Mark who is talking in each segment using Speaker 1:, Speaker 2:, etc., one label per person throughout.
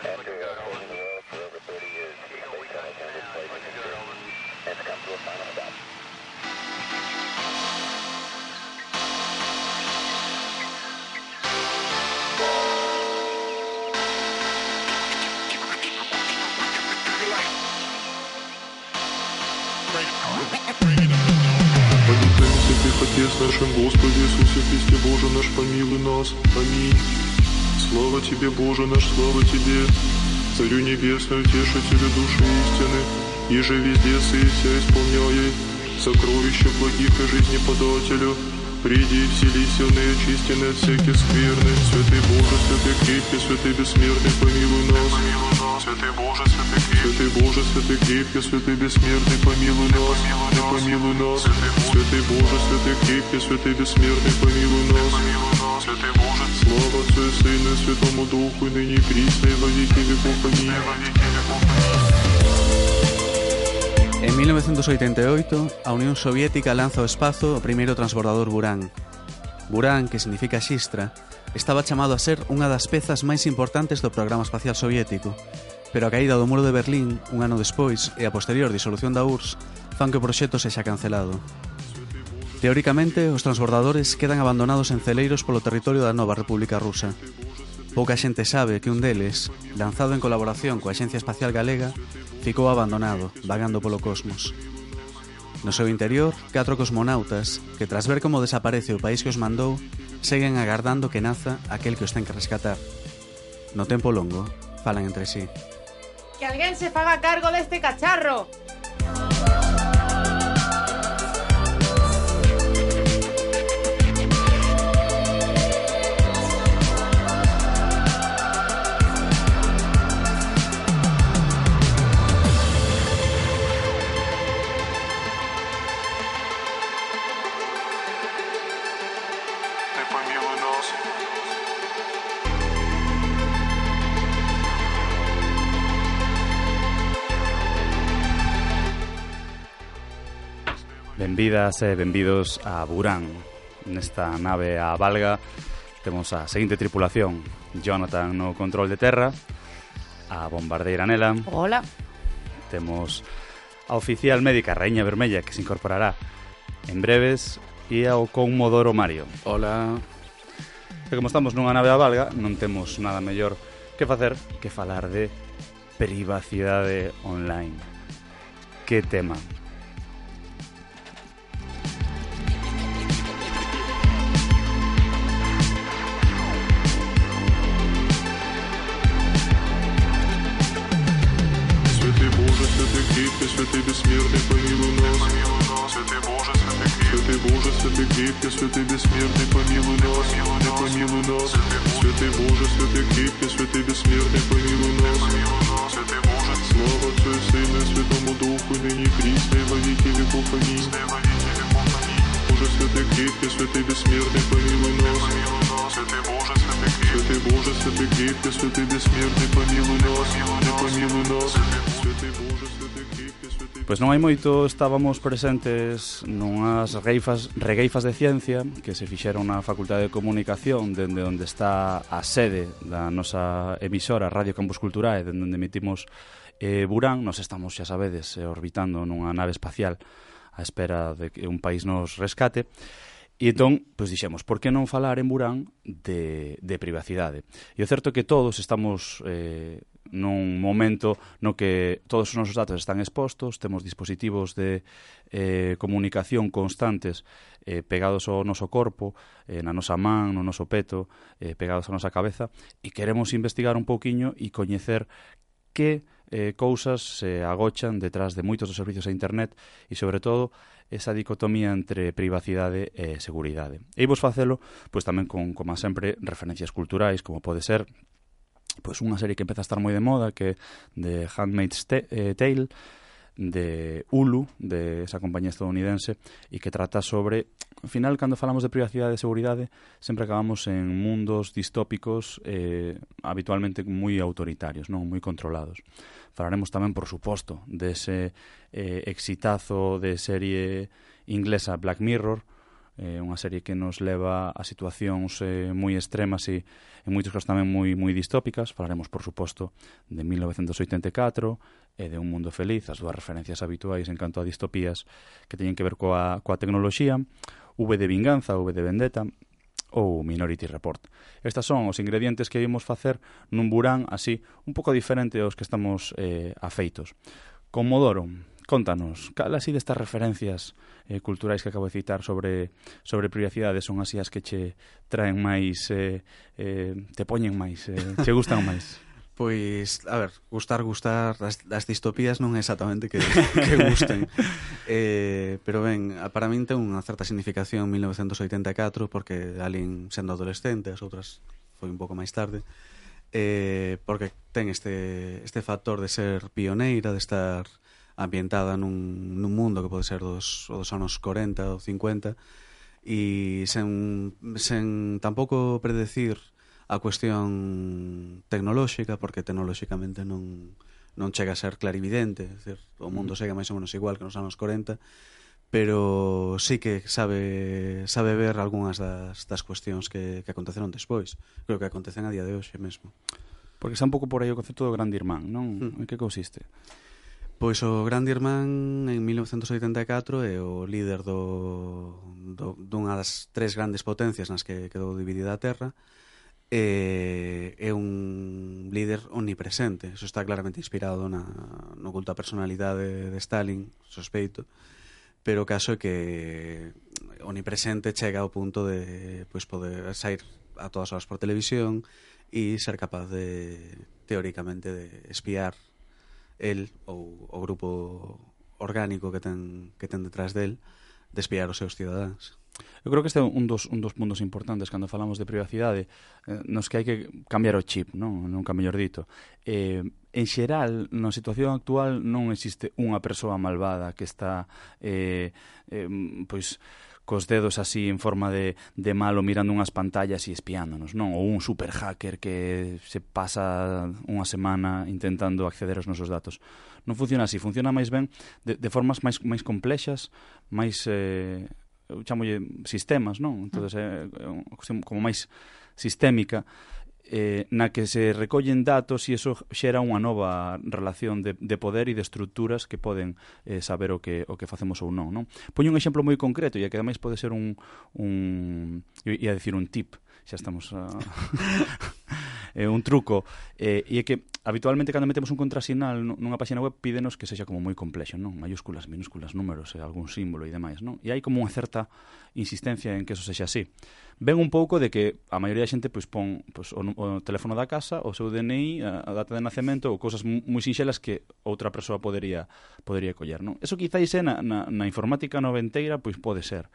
Speaker 1: Отец нашим Господи Иисусе Христе, Боже наш, помилуй нас. Аминь. Слава Тебе, Боже наш, слава Тебе, Царю Небесный, Утешителю души истины, иже везде сыся исполняй сокровища благих и жизнеподателю. Приди, вселися в неочистенные от всяких скверны. Святый Боже, святый крепкий, святый бессмертный, помилуй нас. Святый Боже, святый крепкий, святый бессмертный, помилуй нас. Помилуй нас. Святый Боже, святый крепкий, святый бессмертный, помилуй нас. Святый Боже, слава Отцу и Сыну и Святому Духу, и ныне и присно, и во веки веков. Аминь.
Speaker 2: En 1988, a Unión Soviética lanza ao espazo o primeiro transbordador Buran. Buran, que significa xistra, estaba chamado a ser unha das pezas máis importantes do programa espacial soviético, pero a caída do muro de Berlín, un ano despois, e a posterior disolución da URSS, fan que o proxecto sexa cancelado. Teóricamente, os transbordadores quedan abandonados en celeiros polo territorio da nova República Rusa. Pouca xente sabe que un deles, lanzado en colaboración coa Axencia Espacial Galega, ficou abandonado, vagando polo cosmos. No seu interior, 4 cosmonautas, que tras ver como desaparece o país que os mandou, seguen agardando que naza aquel que os ten que rescatar. No tempo longo, falan entre sí.
Speaker 3: Que alguén se faga cargo deste cacharro!
Speaker 4: Benvidas e benvidos a Buran. Nesta nave a Valga temos a seguinte tripulación: Jonathan no control de terra, a bombardeira nela.
Speaker 3: Hola.
Speaker 4: Temos a oficial médica Raíña Vermella, que se incorporará en breves, e ao conmodoro Mario.
Speaker 2: Hola.
Speaker 4: E como estamos nunha nave a Valga, non temos nada mellor que facer que falar de privacidade online. Que tema?
Speaker 1: Святый бессмертный, помилуй нас. Святый Боже, святый крепкий, святый бессмертный, помилуй нас. Помилуй нас. Святый Боже, святый крепкий, святый бессмертный, помилуй нас. Святый Боже, слава Отцу и Сыну и Святому Духу, и ныне и присно, и во веки веков. Аминь. Боже, святый крепкий, святый бессмертный, помилуй нас. Святый Боже, святый крепкий, святый бессмертный, помилуй нас. Помилуй нас. Святый Боже, святый крепкий, святый...
Speaker 4: Pois non hai moito estábamos presentes nunhas regueifas de ciencia que se fixeron na Facultade de Comunicación, dende onde está a sede da nosa emisora Radio Campus Culturae, dende onde emitimos Buran. Nos estamos, xa sabedes, orbitando nunha nave espacial á espera de que un país nos rescate. E entón, pois dixemos, por que non falar en Buran de privacidade? E o certo é que todos estamos nun momento no que todos os nosos datos están expostos, temos dispositivos de comunicación constantes pegados ao noso corpo, na nosa man, no noso peto, pegados á nosa cabeza, e queremos investigar un pouquiño e coñecer que cousas se agochan detrás de moitos dos servicios a internet e, sobre todo, esa dicotomía entre privacidade e seguridade. E vos facelo, pois tamén con, como sempre, referencias culturais, como pode ser pois unha serie que empeza a estar moi de moda, que é The Handmaid's Tale, de Hulu, de esa compañía estadounidense, e que trata sobre, ao final, cando falamos de privacidade e seguridade, sempre acabamos en mundos distópicos habitualmente moi autoritarios, non moi controlados. Falaremos tamén, por suposto, dese exitazo de serie inglesa Black Mirror, unha serie que nos leva a situacións moi extremas e en moitos casos tamén moi distópicas. Falaremos, por suposto, de 1984 e de Un mundo feliz, as dúas referencias habituais en canto a distopías que teñen que ver coa tecnoloxía. V de Vinganza, V de Vendetta ou Minority Report. Estas son os ingredientes que ímos facer nun burán así un pouco diferente aos que estamos afeitos. Comodoro, contanos, cal así destas referencias culturais que acabo de citar sobre privacidade son así as que che traen máis, te poñen máis, che gustan máis?
Speaker 2: Pois, a ver, gustar, as distopías non é exactamente que gusten. Pero ben, para min ten unha certa significación 1984, porque alín sendo adolescente, as outras foi un pouco máis tarde, porque ten este factor de ser pioneira, de estar ambientada nun mundo que pode ser dos anos 40 ou 50, e sen tampouco predecir a cuestión tecnolóxica, porque tecnolóxicamente non chega a ser clarividente, é dicir, o mundo segue máis ou menos igual que nos anos 40, pero sí que sabe ver algunhas das cuestións que aconteceron despois. Creo que acontecen a día de hoxe mesmo.
Speaker 4: Porque xa un pouco por aí o concepto do Grande Irmán, non? En que consiste?
Speaker 2: Pois o Grande Irmán en 1984 é o líder dunha das tres grandes potencias nas que quedou dividida a Terra. É un líder omnipresente. Eso está claramente inspirado na oculta personalidade de Stalin, sospeito, pero o caso é que omnipresente chega ao punto de poder sair a todas horas por televisión e ser capaz de, teóricamente, de espiar el ou o grupo orgánico que ten detrás del, de espiar os seus cidadáns.
Speaker 4: Eu creo que este é un dos puntos importantes cando falamos de privacidade, nos que hai que cambiar o chip, nunca mellor dito. En xeral, na situación actual non existe unha persoa malvada que está pois cos dedos así en forma de malo mirando unhas pantallas e espiándonos, non? Ou un super hacker que se pasa unha semana intentando acceder aos nosos datos. Non funciona así, funciona máis ben de formas máis complexas, máis eu chamolle sistemas, non? Entonces é unha cuestión como máis sistémica, na que se recollen datos e iso xera unha nova relación de poder e de estruturas que poden saber o que facemos ou non. Poño un exemplo moi concreto e que ademais pode ser un tip, xa estamos un truco, e é que habitualmente cando metemos un contrasinal nunha página web pídenos que sexa como moi complexo, non? Mayúsculas, minúsculas, números, algún símbolo e demais, non? E hai como unha certa insistencia en que eso sexa así. Ven un pouco de que a maioría da xente pon o teléfono da casa, o seu DNI, a data de nacemento ou cousas moi sinxelas que outra persoa podería coller, non? Eso quizáis na informática noventeira, pois pode ser.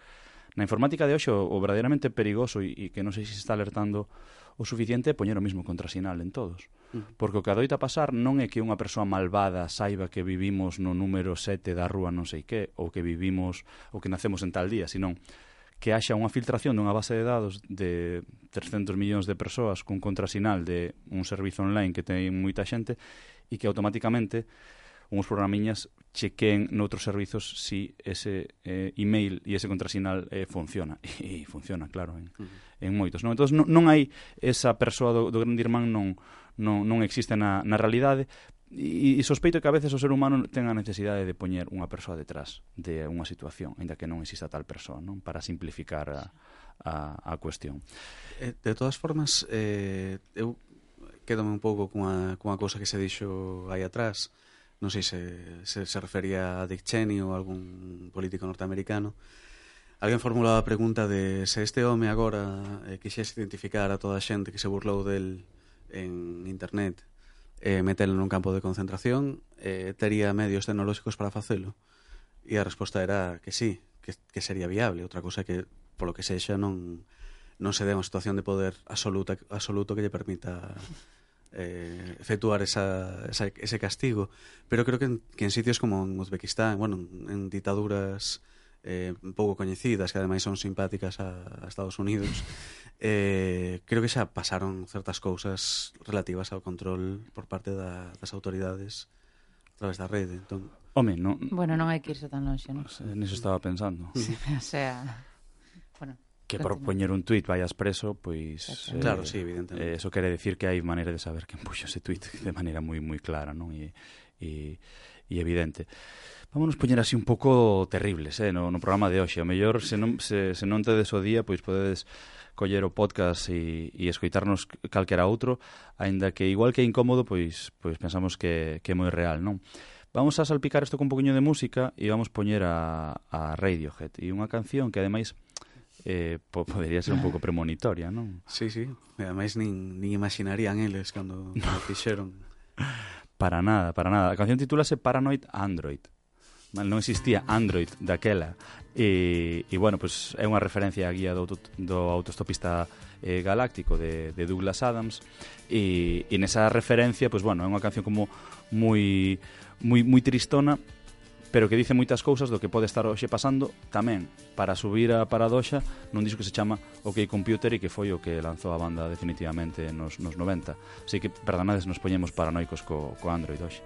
Speaker 4: Na informática de hoxe o verdadeiramente perigoso e que non sei se está alertando o suficiente é poñer o mesmo contrasinal en todos. Porque o que adoita pasar non é que unha persoa malvada saiba que vivimos no número 7 da rúa non sei que, ou que vivimos ou que nacemos en tal día, senón que haxa unha filtración dunha base de dados de 300 millóns de persoas cun contrasinal de un servizo online que ten moita xente e que automáticamente uns programiñas chequen noutros servizos si ese email e ese contrasinal funciona. E funciona, claro, en moitos. Entón, non hai esa persoa do Grande Irmán, non existe na realidade, e sospeito que a veces o ser humano ten a necesidade de poñer unha persoa detrás de unha situación, ainda que non exista tal persoa, non? Para simplificar a cuestión.
Speaker 2: De todas formas, eu quedome un pouco cunha cousa que se dixo aí atrás. Non sei se refería a Dick Cheney ou algún político norteamericano. Alguén formulaba a pregunta de se este home agora quixese identificar a toda a xente que se burlou del en internet e metelo nun campo de concentración, tería medios tecnolóxicos para facelo. E a resposta era que sí, que sería viable. Outra cousa que, polo que sexa, non se dé unha situación de poder absoluto que lle permita efectuar ese castigo. Pero creo que en sitios como en Uzbekistán, en ditaduras un pouco coñecidas, que ademais son simpáticas a Estados Unidos, creo que xa pasaron certas cousas relativas ao control por parte das autoridades a través da rede.
Speaker 3: Bueno, non hai que irse tan longe, non?
Speaker 4: Niso estaba pensando.
Speaker 3: O sea,
Speaker 5: Bueno,
Speaker 4: que por poñer un tuit vayas preso, pois...
Speaker 2: Claro, sí, evidentemente.
Speaker 4: Eso quere decir que hai maneira de saber quen puxo ese tuit de maneira moi moi clara, non? E evidente. Vámonos poñer así un pouco terribles, no programa de hoxe. O mellor, se non tedes o día, pois podedes coller o podcast e escoitarnos calquera outro, aínda que igual que é incómodo, pois pensamos que é moi real, non? Vamos a salpicar isto con un poquinho de música e vamos poñer a Radiohead e unha canción que ademais podería ser un pouco premonitoria, non?
Speaker 2: Sí, sí. E ademais nin imaginarían eles cando fixeron.
Speaker 4: Para nada, para nada. A canción titúlase Paranoid Android. Non existía Android daquela. E bueno, pues é unha referencia á guía do autostopista galáctico de Douglas Adams. E nesa referencia, pues bueno, é unha canción como moi tristona, pero que dice moitas cousas do que pode estar hoxe pasando tamén para subir a paradoxa nun disco que se chama OK Computer e que foi o que lanzou a banda definitivamente nos 90. Así que, perdonades, nos poñemos paranoicos co Android hoxe.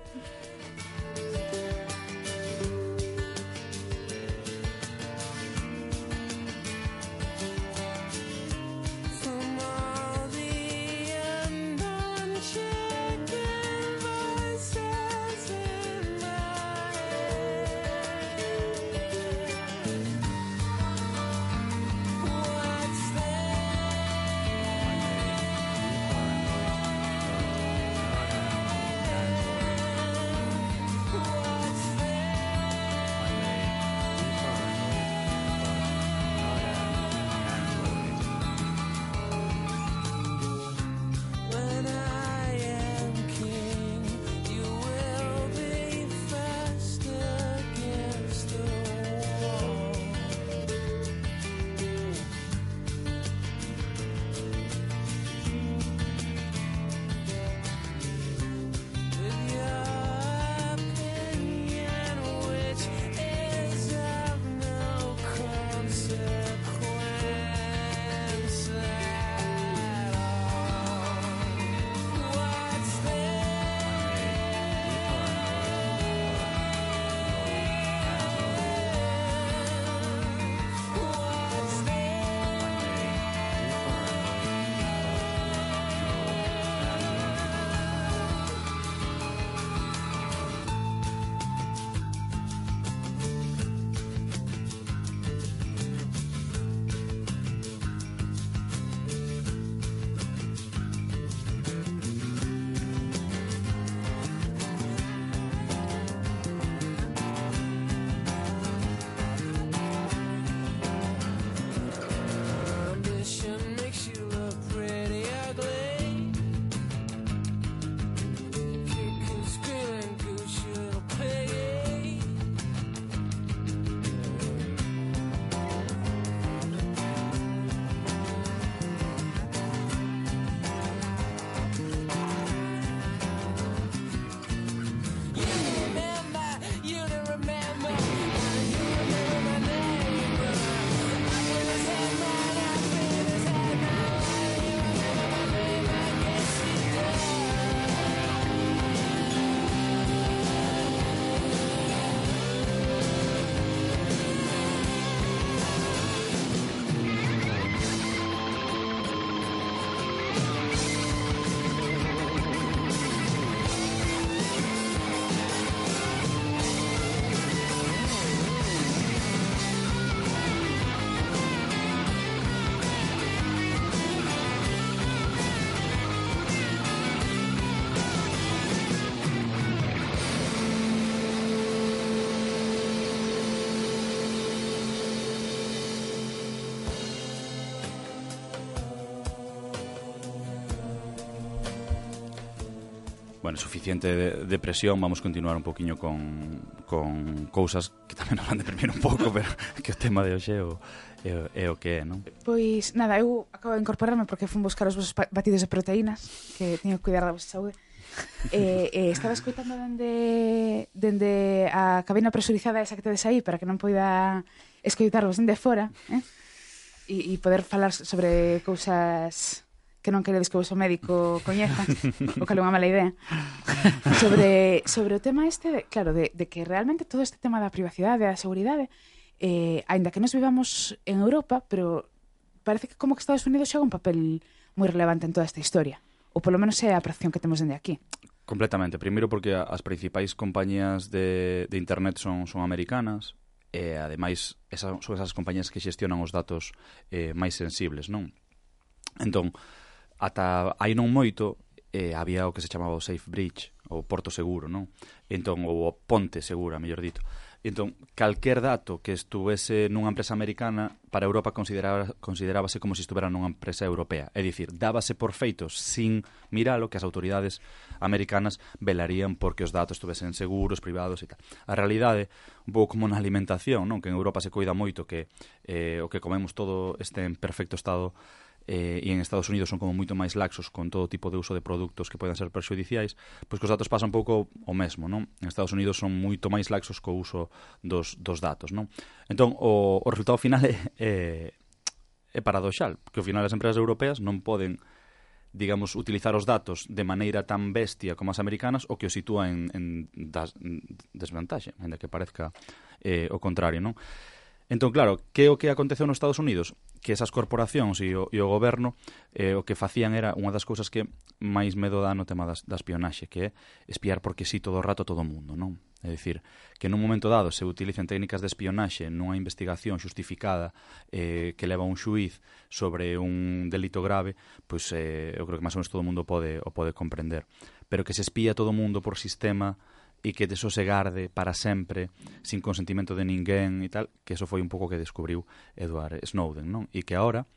Speaker 4: Bueno, suficiente de presión. Vamos continuar un poquinho con cousas que tamén nos van deprimir un pouco, pero que o tema de hoxe é o que é, non?
Speaker 5: Pois, nada, eu acabo de incorporarme porque fun buscar os vosos batidos de proteínas, que teño que cuidar da vosa saúde. Estaba escoitando dende a cabina presurizada esa que tedes aí para que non poida escoitarvos dende fora, e poder falar sobre cousas que non queredes que o vosso médico coñeza, o que é unha mala idea. Sobre o tema este, claro, de que realmente todo este tema da privacidade, da seguridade, aínda que nos vivamos en Europa, pero parece que como que Estados Unidos xoga un papel moi relevante en toda esta historia. Ou polo menos é a percepción que temos dende aquí.
Speaker 4: Completamente. Primeiro porque as principais compañías de internet son americanas, e ademais son esas compañías que xestionan os datos máis sensibles, non? Entón, ata aí non moito había o que se chamaba o Safe Bridge, o porto seguro, non? Entón, ou o ponte segura, mellor dito. Entón, calquer dato que estuvese nunha empresa americana para Europa considerábase como se estuvera nunha empresa europea. É dicir, dábase por feitos sin miralo que as autoridades americanas velarían porque os datos estuvesen seguros, privados e tal. A realidade, un pouco como na alimentación, non? Que en Europa se coida moito que o que comemos todo este en perfecto estado, e en Estados Unidos son como moito máis laxos con todo tipo de uso de produtos que poden ser perxudiciais, pois que os datos pasan un pouco o mesmo, non? En Estados Unidos son moito máis laxos co uso dos datos, non? Entón, o resultado final é paradoxal, que ao final as empresas europeas non poden, digamos, utilizar os datos de maneira tan bestia como as americanas, o que os sitúa en desvantaxe, ainda que parezca o contrario, non? Entón, claro, que é o que aconteceu nos Estados Unidos? Que esas corporacións e o goberno o que facían era unha das cousas que máis medo dá no tema da espionaxe, que é espiar porque sí todo o rato todo o mundo, non? É dicir, que nun momento dado se utilicen técnicas de espionaxe nunha investigación xustificada que leva un xuiz sobre un delito grave, pois eu creo que máis ou menos todo o mundo o pode comprender. Pero que se espía todo o mundo por sistema e que deso se garde para sempre sin consentimento de ninguén e tal, que eso foi un pouco que descubriu Edward Snowden, non? E que agora,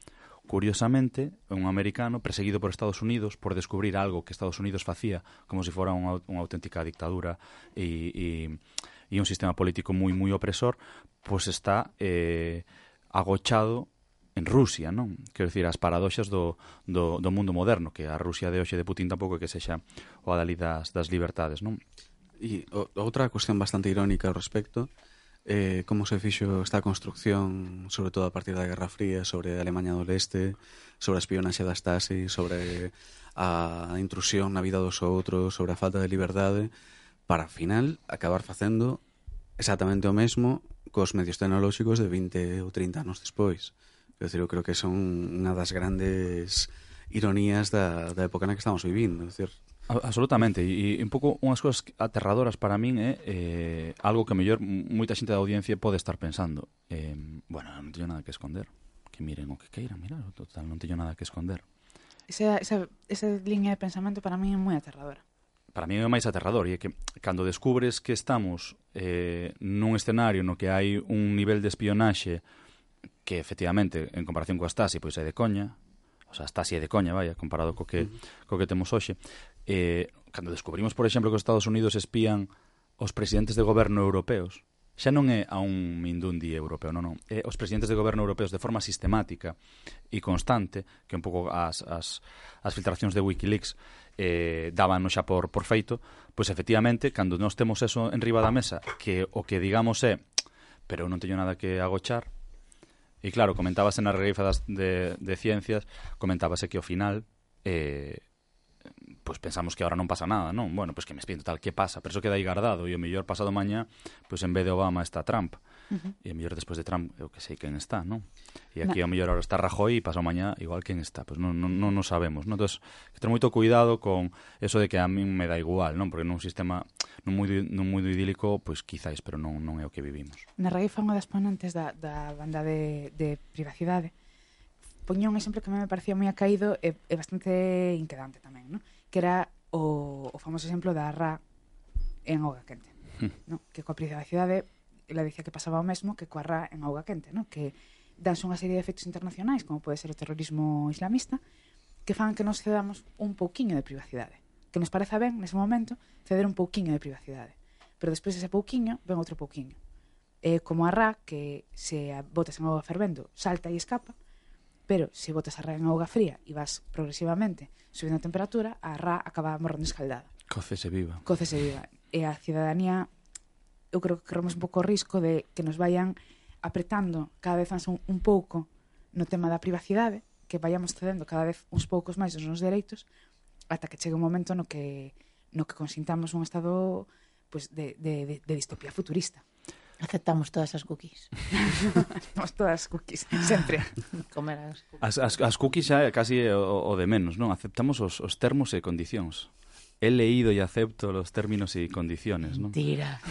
Speaker 4: curiosamente, un americano perseguido por Estados Unidos por descubrir algo que Estados Unidos facía como se fora unha auténtica dictadura e un sistema político moi opresor, pois está agochado en Rusia, non? Quero dicir, as paradoxas do mundo moderno, que a Rusia de hoxe de Putin tampouco é que sexa o adalí das libertades, non?
Speaker 2: E outra cuestión bastante irónica ao respecto, como se fixo esta construcción, sobre todo a partir da Guerra Fría, sobre a Alemanha do Leste, sobre a espionaxe da Stasi, sobre a intrusión na vida dos outros, sobre a falta de liberdade, para, ao final, acabar facendo exactamente o mesmo cos medios tecnolóxicos de 20 ou 30 anos despois. Quer dizer, eu creo que son unha das grandes ironías da época na que estamos vivindo. Quer dizer,
Speaker 4: absolutamente, e un pouco unhas cousas aterradoras para min é algo que mellor moita xente da audiencia pode estar pensando. Bueno, non teño nada que esconder, que miren o que queiran mirar, total, non teño nada que esconder.
Speaker 5: Esa liña de pensamento para min é moi aterradora.
Speaker 4: Para min é máis aterrador, e é que cando descubres que estamos nun escenario no que hai un nivel de espionaxe que efectivamente, en comparación coa Stasi, pois é de coña, o sea, Stasi é de coña, vaya, comparado co que temos hoxe. Cando descubrimos, por exemplo, que os Estados Unidos espían os presidentes de goberno europeos, xa non é a un mindundi europeo, non, é os presidentes de goberno europeos de forma sistemática e constante, que un pouco as filtracións de Wikileaks dábanos xa por feito, pois efectivamente, cando nós temos eso en riba da mesa, que o que digamos é, pero non teño nada que agochar. E claro, comentábase nas regueifas de ciencias, comentábase que ao final pois pensamos que ahora non pasa nada, non? Bueno, pois que me espíen total, que pasa? Pero eso queda aí guardado, e o mellor pasado mañá, pois en vez de Obama está Trump. E o mellor despois de Trump, eu que sei quen está, non? E aquí o mellor ahora está Rajoy e pasado mañá igual quen está, pois non sabemos, non? Entón, que ter moito cuidado con eso de que a min me dá igual, non? Porque nun sistema non moi idílico, pois quizáis, pero non é o que vivimos.
Speaker 5: Na regueifa unha das ponentes da banda de privacidade poñía un exemplo que a mí me parecía moi acaído e bastante inquedante tamén, non? Que era o famoso exemplo da RA en auga quente, non? Que coa privacidade ela dicía que pasaba o mesmo que coa RA en auga quente, non? Que danse unha serie de efectos internacionais, como pode ser o terrorismo islamista, que fan que nos cedamos un pouquiño de privacidade, que nos pareza ben nese momento ceder un pouquiño de privacidade, pero despois ese pouquiño ven outro pouquiño. Como a RA, que se botas en auga fervendo salta e escapa, pero se botas a RA en auga fría e vas progresivamente subindo a temperatura, a RA acaba morrendo escaldada.
Speaker 4: Cócese viva.
Speaker 5: E a cidadanía, eu creo que corremos un pouco o risco de que nos vayan apretando cada vez máis un pouco no tema da privacidade, que vayamos cedendo cada vez uns poucos máis os nosos dereitos, ata que chegue un momento no que consintamos un estado pues, de distopía futurista.
Speaker 6: Aceptamos todas as cookies.
Speaker 5: Somos todas cookies, sempre.
Speaker 6: Comer as cookies.
Speaker 4: As cookies xa é casi o de menos, non? Aceptamos os termos e condicións. He leído e acepto os términos e condiciones, non?
Speaker 6: Mentira.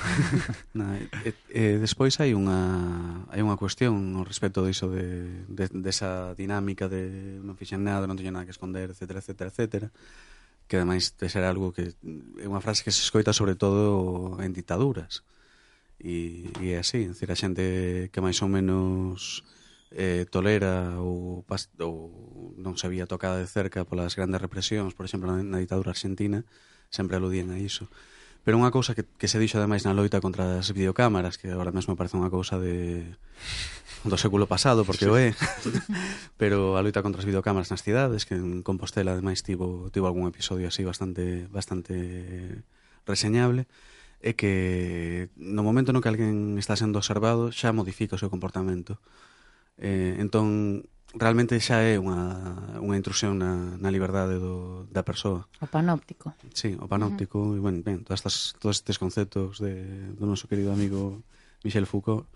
Speaker 2: Despois hai unha cuestión ao respecto diso desa dinámica de non fixen nada, non teño nada que esconder, etcétera, etcétera, etcétera, que ademais de ser algo que é unha frase que se escoita sobre todo en ditaduras. E é así, é dicir, a xente que máis ou menos tolera ou non se había tocada de cerca polas grandes represións, por exemplo, na ditadura argentina, sempre aludían a iso. Pero unha cousa que se dixo ademais na loita contra as videocámaras, que agora mesmo parece unha cousa do século pasado, porque o é, pero a loita contra as videocámaras nas cidades, que en Compostela ademais tivo algún episodio así bastante reseñable, é que no momento no que alguén está sendo observado xa modifica o seu comportamento. Entón, realmente xa é unha intrusión na liberdade da persoa.
Speaker 6: O panóptico.
Speaker 2: Sí, o panóptico. E, bueno, ben, todos estes conceptos do noso querido amigo Michel Foucault.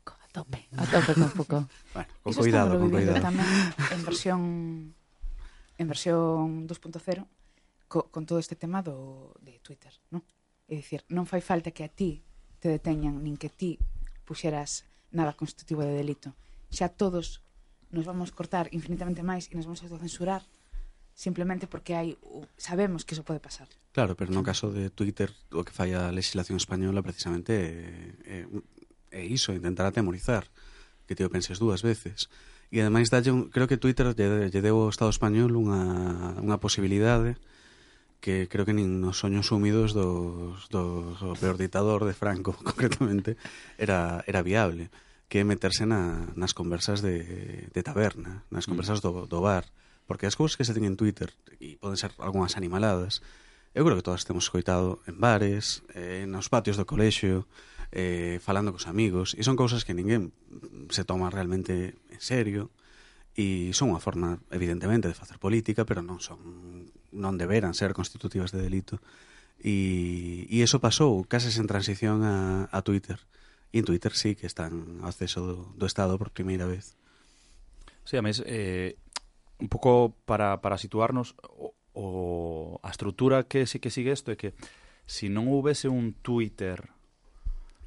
Speaker 6: A tope con Foucault.
Speaker 2: Bueno, con cuidado, con cuidado.
Speaker 5: Tamén en versión 2.0 con todo este tema de Twitter, non? É dicir, non fai falta que a ti te deteñan, nin que ti puxeras nada constitutivo de delito. Xa todos nos vamos cortar infinitamente máis e nos vamos autocensurar simplemente porque sabemos que iso pode pasar.
Speaker 2: Claro, pero no caso de Twitter, o que fai a legislación española precisamente é iso, intentar atemorizar, que te o penses dúas veces. E ademais creo que Twitter lle deu ao Estado español unha posibilidade que creo que nin nos soños húmidos do peor ditador de Franco, concretamente, era viable, que é meterse nas conversas de taberna, nas conversas do bar, porque as cousas que se ten en Twitter, e poden ser algunhas animaladas, eu creo que todas temos escoitado en bares, nos patios do colexio, falando cos amigos, e son cousas que ninguén se toma realmente en serio, e son unha forma, evidentemente, de facer política, pero non deberan ser constitutivas de delito. E iso pasou case sen transición a Twitter. E en Twitter sí que están ao acceso do Estado por primeira vez.
Speaker 4: Sí, a mes, un pouco para situarnos, a estrutura que sí que sigue isto é que se non houvese un Twitter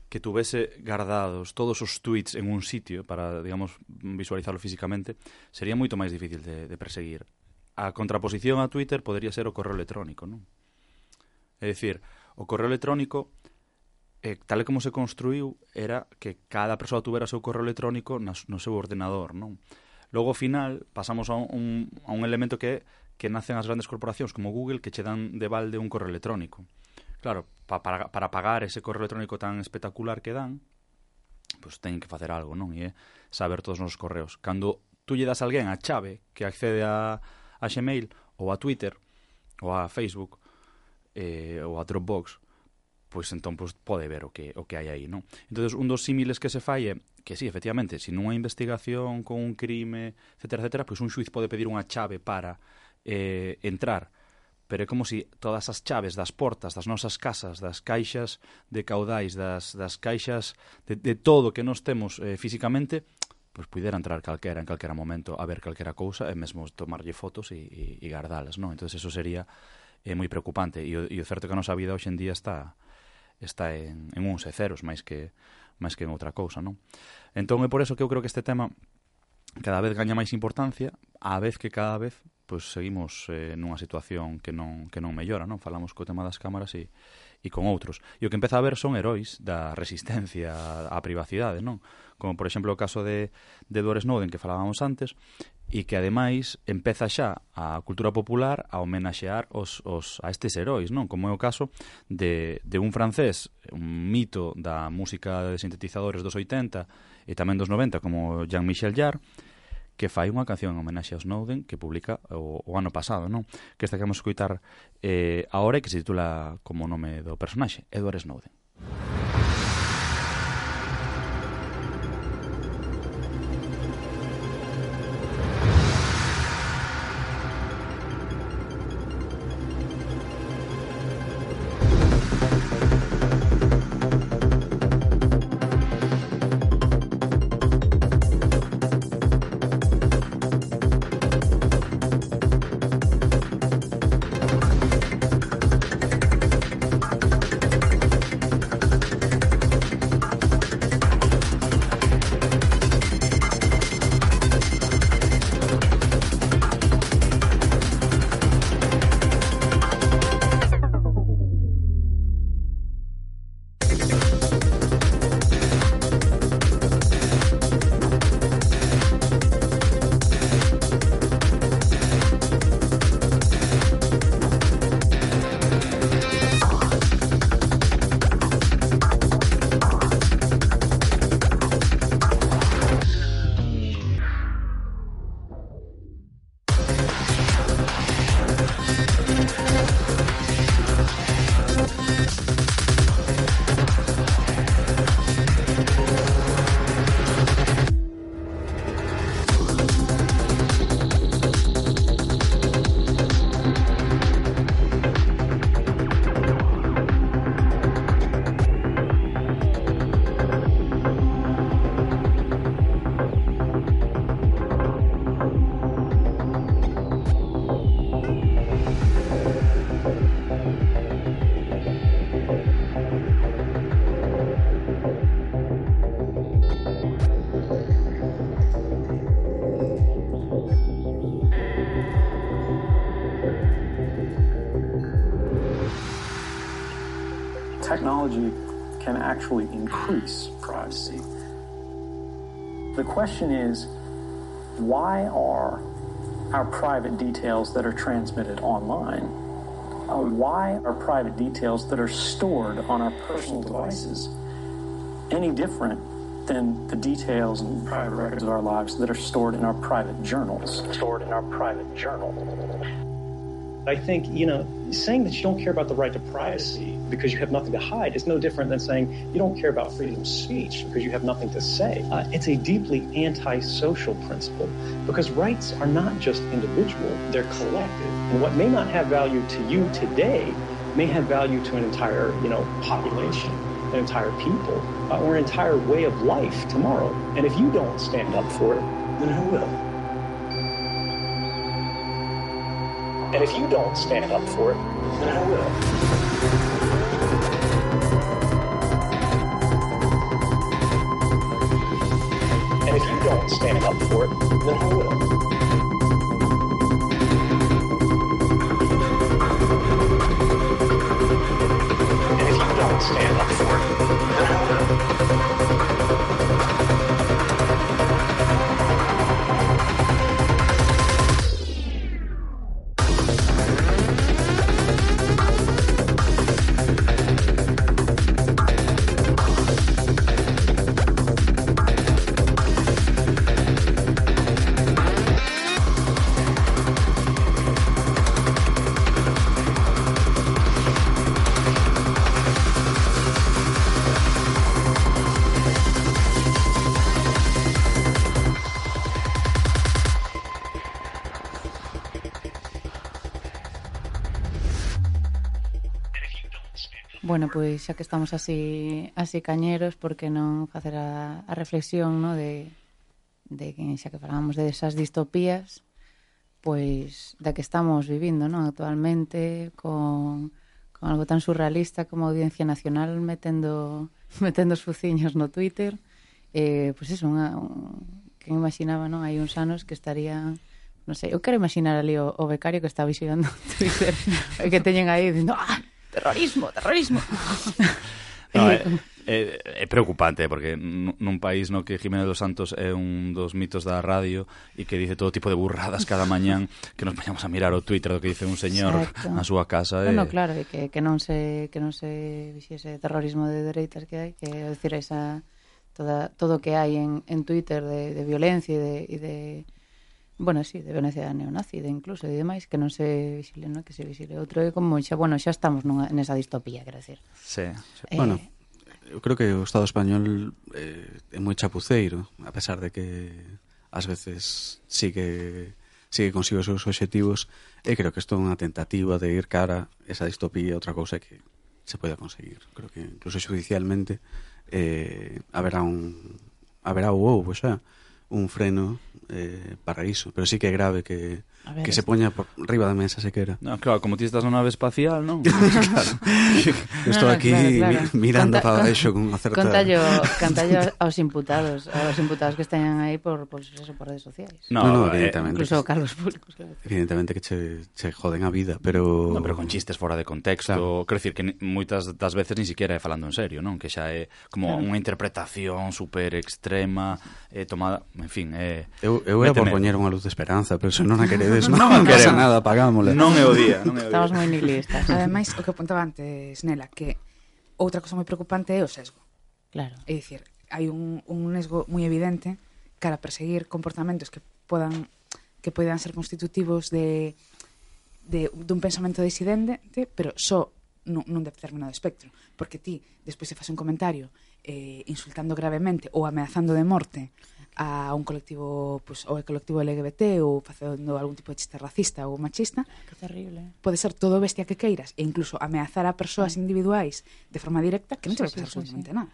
Speaker 4: que tuvese guardados todos os tweets en un sitio para, digamos, visualizarlo físicamente, sería moito máis difícil de perseguir. A contraposición a Twitter podería ser o correo electrónico, non? É dicir, o correo electrónico, tal e como se construiu, era que cada persoa tuvera o seu correo electrónico no seu ordenador, non? Logo, ao final, pasamos a un elemento que nacen as grandes corporacións como Google, que che dan de balde un correo electrónico. Claro, para pagar ese correo electrónico tan espectacular que dan, pues teñen que facer algo, non? E é saber todos os nosos correos. Cando tú lle das a alguén a chave que accede a Gmail ou a Twitter ou a Facebook ou a Dropbox, pois entón pode ver o que hai aí, non? Entonces, un dos símiles que se fai é que sí, efectivamente, se nunha investigación con un crime, etcétera, etcétera, pois un xuiz pode pedir unha chave para entrar, pero é como se todas as chaves das portas das nosas casas, das caixas de caudais, das caixas de todo que nos temos físicamente, pois pudera entrar calquera en calquera momento a ver calquera cousa e mesmo tomarlle fotos e guardalas, non? Entón, eso sería moi preocupante e o certo é que a nosa vida hoxe en día está en uns e ceros máis que en outra cousa, non? Entón é por eso que eu creo que este tema cada vez gaña máis importancia, á vez que cada vez pois seguimos nunha situación que non mellora, non? Falamos co tema das cámaras e con outros. E o que empeza a ver son heróis da resistencia á privacidade, non? Como, por exemplo, o caso de Edward Snowden que falábamos antes, e que, ademais, empeza xa a cultura popular a homenaxear a estes heróis, non? Como é o caso de un francés, un mito da música de sintetizadores dos 80 e tamén dos 90, como Jean-Michel Jarre, que fai unha canción en homenaxe a Snowden que publica o ano pasado, non? Que esta que vamos a escoitar agora e que se titula como o nome do personaxe, Edward Snowden.
Speaker 7: technology can actually increase privacy. The question is, why are our private details that are transmitted online, why are private details that are stored on our personal devices any different than the details and private records of our lives that are stored in our private journals? I think, saying that you don't care about the right to privacy because you have nothing to hide is no different than saying you don't care about freedom of speech because you have nothing to say. It's a deeply anti-social principle because rights are not just individual, they're collective. And what may not have value to you today may have value to an entire, population, an entire people, or an entire way of life tomorrow. And if you don't stand up for it, then who will? And if you don't stand up for it, then who will? And if you don't stand up for it, then who will? And if you don't stand up for it, then who will?
Speaker 6: Bueno, pois xa que estamos así cañeros, por que non facer a reflexión, no, de que xa que falábamos de esas distopías, pois da que estamos vivindo, no, actualmente con algo tan surrealista como a Audiencia Nacional metendo os fuciños no Twitter, pois eso, que imaginaba, non, hai uns anos que estarían, non sei, eu quero imaginar ali o becario que está vigilando Twitter e que teñen aí dicindo terrorismo.
Speaker 4: No, é preocupante porque nun país no que Jiménez dos Santos é un dos mitos da radio e que dice todo tipo de burradas cada mañán, que nos vayamos a mirar o Twitter do que dice un señor na súa casa.
Speaker 6: No, claro, e que non se vixiese terrorismo de dereitas que hai, que é dicir, todo o que hai en Twitter de violencia e de bueno, sí, de violencia neonazi, de incluso e demais, que non se visile, non? Que se visile outro, é como xa estamos nesa distopía, quero decir.
Speaker 4: Sí.
Speaker 2: Bueno, eu creo que o Estado español é moi chapuceiro, a pesar de que ás veces sigue consigo os seus obxectivos, e creo que isto é unha tentativa de ir cara a esa distopía, outra cousa que se poida conseguir. Creo que incluso judicialmente haberá houbo xa un freno para iso, pero sí que é grave que se poña por riba da mesa sequera.
Speaker 4: No, claro, como ti estás na nave espacial, non?
Speaker 2: Claro. Estou aquí claro. Mirando para baixo con unha certa...
Speaker 6: Cantallo aos imputados que están aí por redes sociais.
Speaker 2: No, evidentemente.
Speaker 6: Incluso cargos públicos. Claro.
Speaker 2: Evidentemente que che joden a vida, pero...
Speaker 4: No, pero con chistes fora de contexto. Claro. Quero dicir que moitas das veces ni siquiera é falando en serio, non? Que xa é como unha interpretación super extrema, tomada, en fin,
Speaker 2: Eu era por poñer unha luz de esperanza, pero se non a queredes, non pasa nada, apagámola.
Speaker 4: Non é o día.
Speaker 6: Estamos moi nihilistas.
Speaker 5: Ademais, o que apuntaba antes, Nela, que outra cosa moi preocupante é o sesgo.
Speaker 6: Claro.
Speaker 5: É dicir, hai un sesgo moi evidente cara a perseguir comportamentos que poidan ser constitutivos dun pensamento disidente, pero só nun determinado espectro. Porque ti, despois se faz un comentario insultando gravemente ou ameazando de morte a un colectivo, pues, ou o colectivo LGBT ou facendo algún tipo de chiste racista ou machista,
Speaker 6: que terrible.
Speaker 5: Pode ser todo bestia que queiras e incluso ameazar a persoas individuais de forma directa que non te vai pasar absolutamente nada.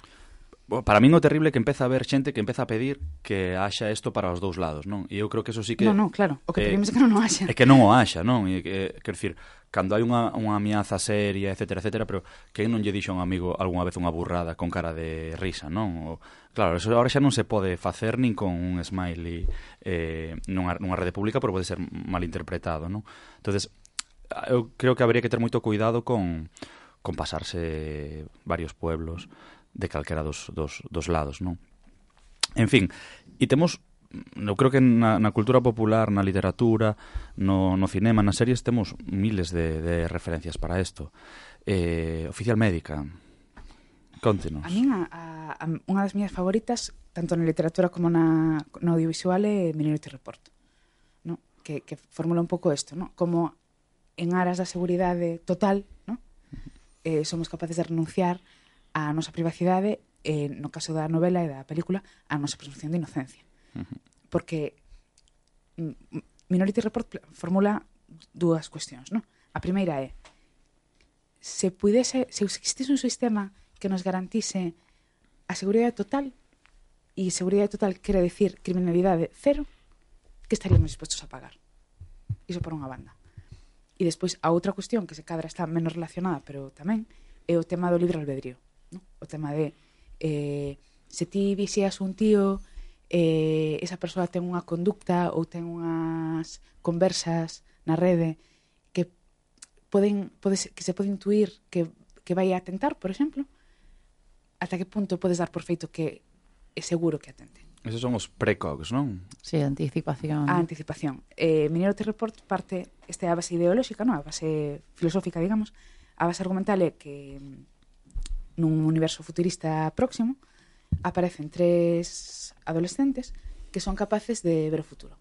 Speaker 4: Para min o terrible é que empeza a haber xente que empeza a pedir que haxa isto para os dous lados, non? E eu creo que eso sí que...
Speaker 5: No, claro, o que pedimos é que non o haxa.
Speaker 4: É que non o haxa, non? E quero dicir, cando hai unha ameaza seria, etcétera, pero que non lle dixo a un amigo algunha vez unha burrada con cara de risa, non? Claro, eso agora xa non se pode facer nin con un smiley nunha rede pública, pero pode ser mal interpretado, non? Entonces, eu creo que habría que ter moito cuidado con con pasarse varios pueblos de calquera dos lados, non? En fin, e temos, eu creo que na cultura popular, na literatura, no cinema, nas series, temos miles de referencias para isto. Oficial Médica, contenos.
Speaker 5: A min, unha das miñas favoritas, tanto na literatura como no audiovisual, é Minority Report, no? Que formula un pouco isto, no? Como en aras da seguridade total, no? Somos capaces de renunciar á nosa privacidade, no caso da novela e da película, á nosa presunción de inocencia. Porque Minority Report formula dúas cuestións, no? A primeira é, se existise un sistema que nos garantise a seguridade total, e seguridade total quere decir criminalidade cero, que estaríamos dispostos a pagar. Iso por unha banda. E despois, a outra cuestión que se cadra está menos relacionada, pero tamén, é o tema do libre albedrío, no? O tema de se ti vixeas un tío, esa persoa ten unha conducta ou ten unhas conversas na rede que se pode intuir que vai a atentar, por exemplo, ata que punto podes dar por feito que é seguro que atente.
Speaker 4: Esos son os precogs, non?
Speaker 6: Sí, anticipación.
Speaker 5: A anticipación. Minority Report parte, esta é a base ideolóxica, non? A base filosófica, digamos. A base argumental é que nun universo futurista próximo aparecen 3 adolescentes que son capaces de ver o futuro.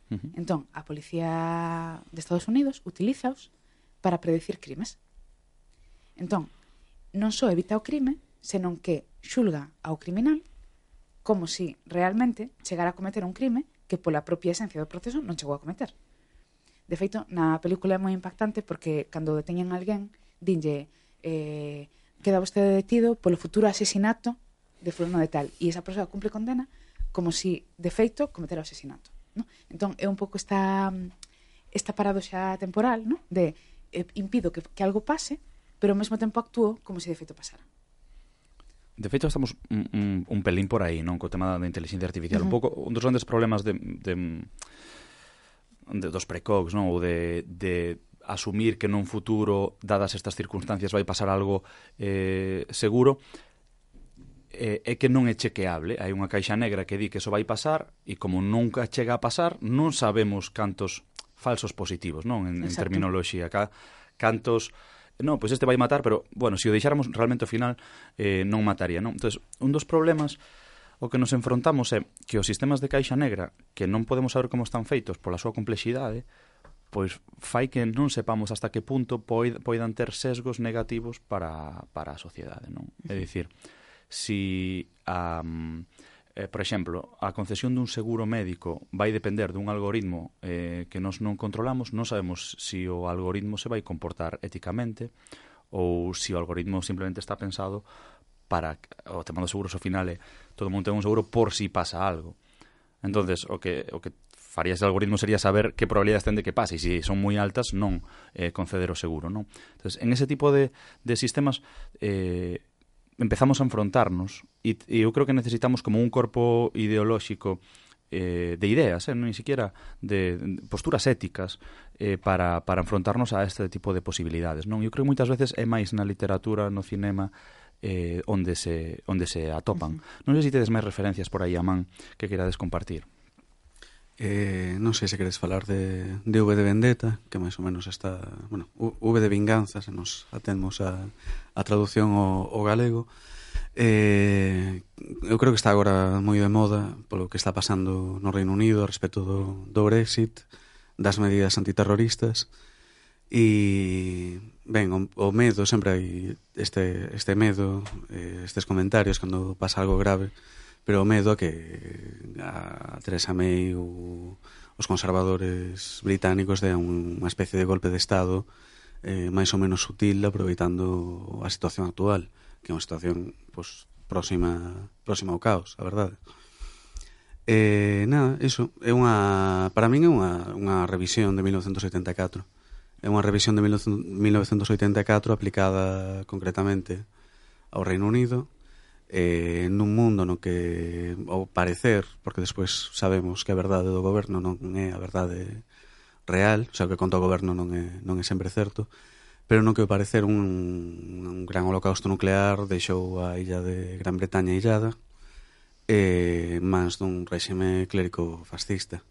Speaker 5: Entón, a policía de Estados Unidos utilizaos para predecir crimes. Entón, non só evita o crime, senón que xulga ao criminal como si realmente chegara a cometer un crime que pola propia esencia do proceso non chegou a cometer. De feito, na película é moi impactante porque cando deteñen a alguén, dinlle queda vostede detido polo futuro asesinato de fulano de tal, e esa persoa cumpre condena como si, de feito, cometera o asesinato, no? Entón, é un pouco esta paradoxa temporal, no? De impido que algo pase, pero ao mesmo tempo actúo como se de feito pasara.
Speaker 4: De feito, estamos un pelín por aí, non? Co tema da inteligencia artificial. Un pouco, un dos grandes problemas dos precogs, non? Ou de asumir que nun futuro, dadas estas circunstancias, vai pasar algo seguro, é que non é chequeable. Hai unha caixa negra que di que eso vai pasar e como nunca chega a pasar, non sabemos cantos falsos positivos, non? En terminoloxía. Cantos... Non, pois este vai matar, pero, bueno, se o deixáramos realmente ao final non mataría, non? Entón, un dos problemas o que nos enfrontamos é que os sistemas de caixa negra, que non podemos saber como están feitos pola súa complexidade, pois fai que non sepamos hasta que punto poidan ter sesgos negativos para a sociedade, non? É dicir, si por exemplo, a concesión dun seguro médico vai depender dun algoritmo que nós non controlamos, non sabemos se o algoritmo se vai comportar éticamente ou se o algoritmo simplemente está pensado para o tema dos seguros ao final é todo mundo ten un seguro por si pasa algo. Entonces, o que faría ese algoritmo sería saber que probabilidades ten de que pase e se son moi altas non conceder o seguro, non? Entonces, en ese tipo de sistemas empezamos a enfrontarnos e eu creo que necesitamos como un corpo ideolóxico de ideas, non siquiera de posturas éticas para enfrontarnos a este tipo de posibilidades, non? Eu creo que moitas veces é máis na literatura, no cinema, onde se atopan. Non sei se tedes máis referencias por aí a man que querades compartir.
Speaker 2: Non sei se queres falar de V de Vendetta, que máis ou menos está, bueno, V de Vinganza, se nos atemos a traducción ao galego. Eu creo que está agora moi de moda polo que está pasando no Reino Unido a respecto do Brexit, das medidas antiterroristas, e ben, o medo, sempre hai este medo, estes comentarios cando pasa algo grave, pero o medo a que a Theresa May ou os conservadores británicos dean unha especie de golpe de Estado máis ou menos sutil, aproveitando a situación actual, que é unha situación pues, próxima ao caos, a verdade. Nada, iso é para min é unha revisión de 1984. É unha revisión de 1984 aplicada concretamente ao Reino Unido, nun mundo no que, ao parecer, porque despois sabemos que a verdade do goberno non é a verdade real, o sea, o que conta o goberno non é sempre certo, pero non que ao parecer un gran holocausto nuclear deixou a illa de Gran Bretaña illada, máis dun réxime clérico fascista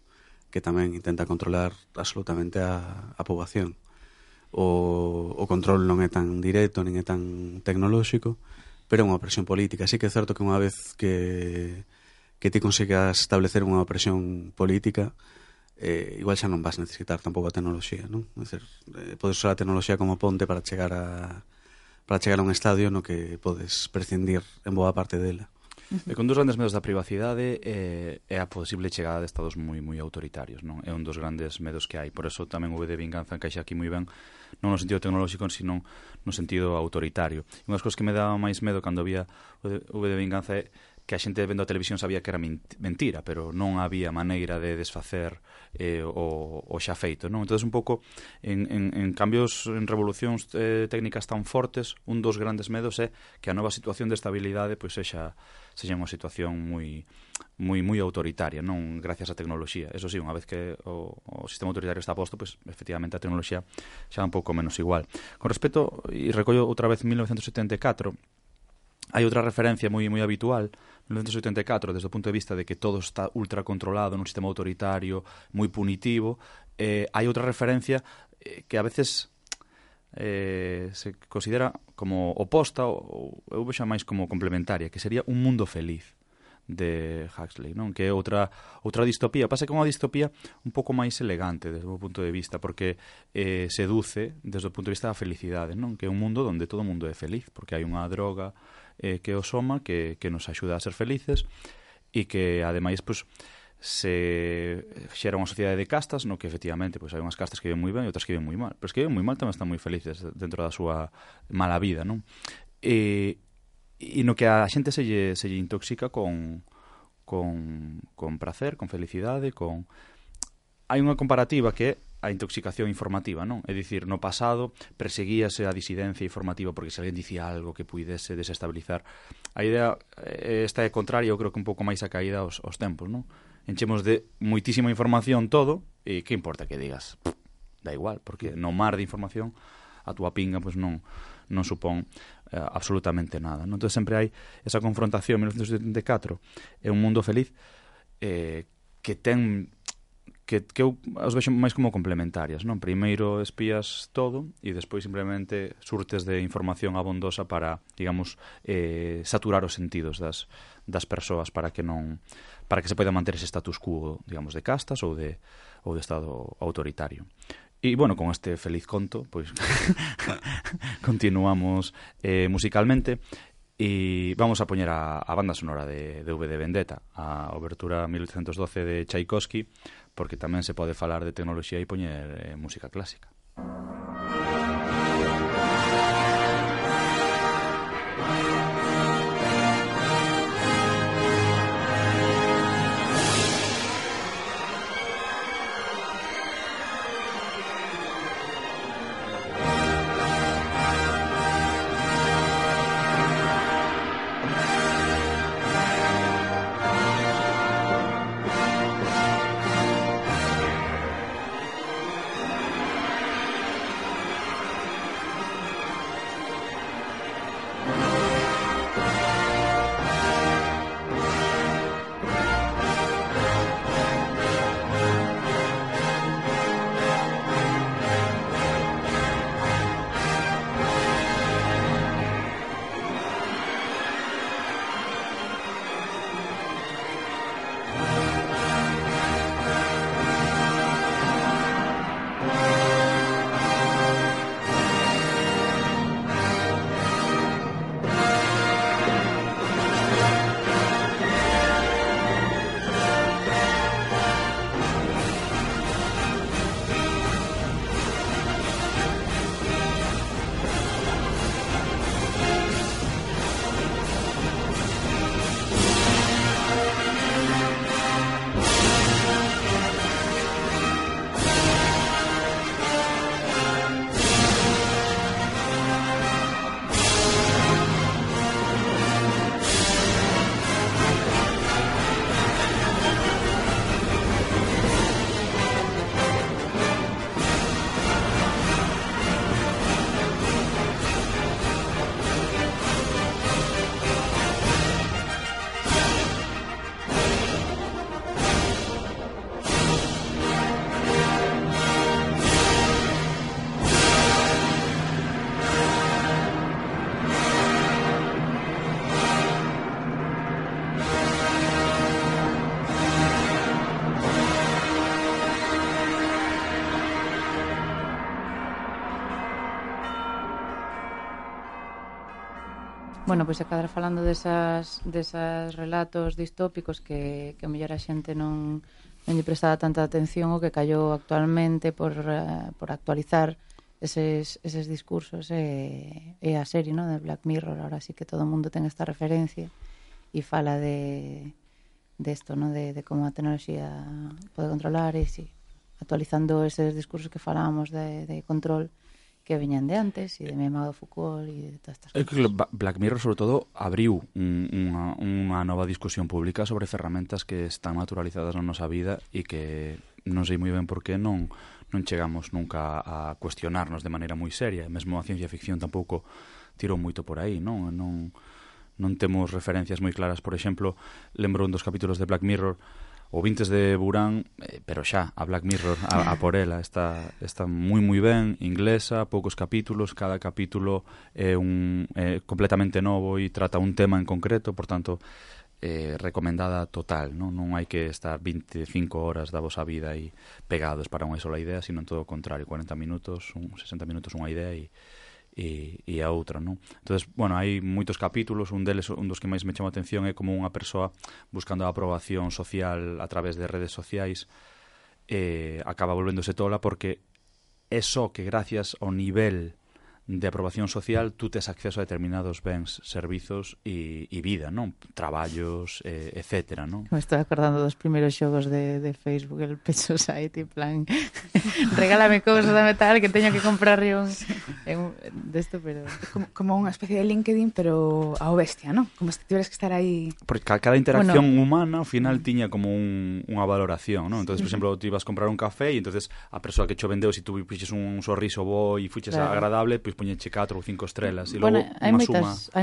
Speaker 2: que tamén intenta controlar absolutamente a poboación. O control non é tan directo nin é tan tecnolóxico, pero é unha opresión política. Así que é certo que unha vez que ti consigas establecer unha opresión política, igual xa non vas necesitar tampouco a tecnoloxía, non? É dicir, podes usar a tecnoloxía como ponte para chegar a un estadio no que podes prescindir en boa parte dela.
Speaker 4: E con dos grandes medos da privacidade é a posible chegada de estados moi autoritarios, non? É un dos grandes medos que hai. Por eso tamén o V de Vinganza encaixa aquí moi ben, non no sentido tecnolóxico, sino no sentido autoritario. E unhas cosas que me daba máis medo cando había o V de Vinganza é que a xente vendo a televisión sabía que era mentira, pero non había maneira de desfacer o xa feito, non? Entón, un pouco, en cambios, en revolucións técnicas tan fortes, un dos grandes medos é que a nova situación de estabilidade pois sexa unha situación moi autoritaria, non gracias á tecnoloxía. Eso sí, unha vez que o sistema autoritario está posto, pois efectivamente a tecnoloxía xa un pouco menos igual. Con respecto, e recollo outra vez 1974, hai outra referencia moi habitual, 1984, desde o punto de vista de que todo está ultra controlado nun sistema autoritario, moi punitivo. Hai outra referencia que a veces se considera como oposta, ou eu vexo máis como complementaria, que sería Un mundo feliz, de Huxley, non? Que é outra distopía. Pasa que é unha distopía un pouco máis elegante desde o meu punto de vista, porque seduce desde o punto de vista da felicidade, non? Que é un mundo onde todo o mundo é feliz, porque hai unha droga que o soma, que nos axuda a ser felices, e que ademais pues, se xera unha sociedade de castas no que efectivamente pues, hai unhas castas que viven moi ben e outras que viven moi mal, pero os que viven moi mal tamén están moi felices dentro da súa mala vida, non? E no que a xente se lle intoxica con pracer, con felicidade, hai unha comparativa que é a intoxicación informativa, non? É dicir, no pasado perseguíase a disidencia informativa porque se alguén dicía algo que puidese desestabilizar. A idea esta é contraria, eu creo que un pouco máis a caída aos tempos, non? Enchemos de moitísima información todo e que importa que digas? Da igual, porque no mar de información a túa pinga pois non supón absolutamente nada, non? Entón sempre hai esa confrontación. 1974 é un mundo feliz que ten que eu os vexo máis como complementarias, non? Primeiro espías todo e despois simplemente surtes de información abondosa para, digamos, saturar os sentidos das persoas para que se poida manter ese status quo, digamos, de castas ou de estado autoritario. E, bueno, con este feliz conto, pois continuamos musicalmente e vamos a poñer a banda sonora de V de Vendetta, a obertura 1812 de Tchaikovsky, porque tamén se pode falar de tecnoloxía e poñer música clásica.
Speaker 6: Bueno, pois a cadra falando desas relatos distópicos que a mellor a xente non lle prestaba tanta atención o que callou actualmente por actualizar eses discursos e a serie, no, de Black Mirror. Ahora sí que todo o mundo ten esta referencia e fala de esto, no, de como a tecnoloxía pode controlar e sí, actualizando eses discursos que falábamos de control que veñan de antes, e de Memado Foucault e de todas estas cousas.
Speaker 4: Que Black Mirror, sobre todo, abriu unha nova discusión pública sobre ferramentas que están naturalizadas na nosa vida e que non sei moi ben por que non chegamos nunca a cuestionarnos de maneira moi seria. Mesmo a ciencia ficción tampouco tirou moito por aí, non temos referencias moi claras. Por exemplo, lembro un dos capítulos de Black Mirror, o Vintes de Burán, pero xa, a Black Mirror, a por ela, está moi moi ben, inglesa, poucos capítulos, cada capítulo é completamente novo e trata un tema en concreto, por tanto, recomendada total, non hai que estar 25 horas da vosa vida aí pegados para unha sola idea, sino en todo o contrario, 40 minutos, 60 minutos unha idea e a outra, non? Entonces, bueno, hai moitos capítulos, un dos que máis me chama a atención é como unha persoa buscando a aprobación social a través de redes sociais acaba volvéndose tola porque é só que gracias ao nivel de aprobación social tú tes acceso a determinados bens, servizos e vida, non? Traballos, etcétera, non?
Speaker 6: Me estou acordando dos primeiros xogos de Facebook, el Pet Society, plan regálame cousas, dame tal, que teño que comprar desto, pero
Speaker 5: como unha especie de LinkedIn, pero ao bestia, non? Como se tiveras que estar aí.
Speaker 4: Porque cada interacción humana ao final tiña como unha valoración, non? Entonces, por exemplo, tú ibas a comprar un café e entonces a persoa que cho vendeu, se tú puxes un sorriso bo e fuches agradable, pois poñeche 4 ou 5 estrelas e logo
Speaker 6: hai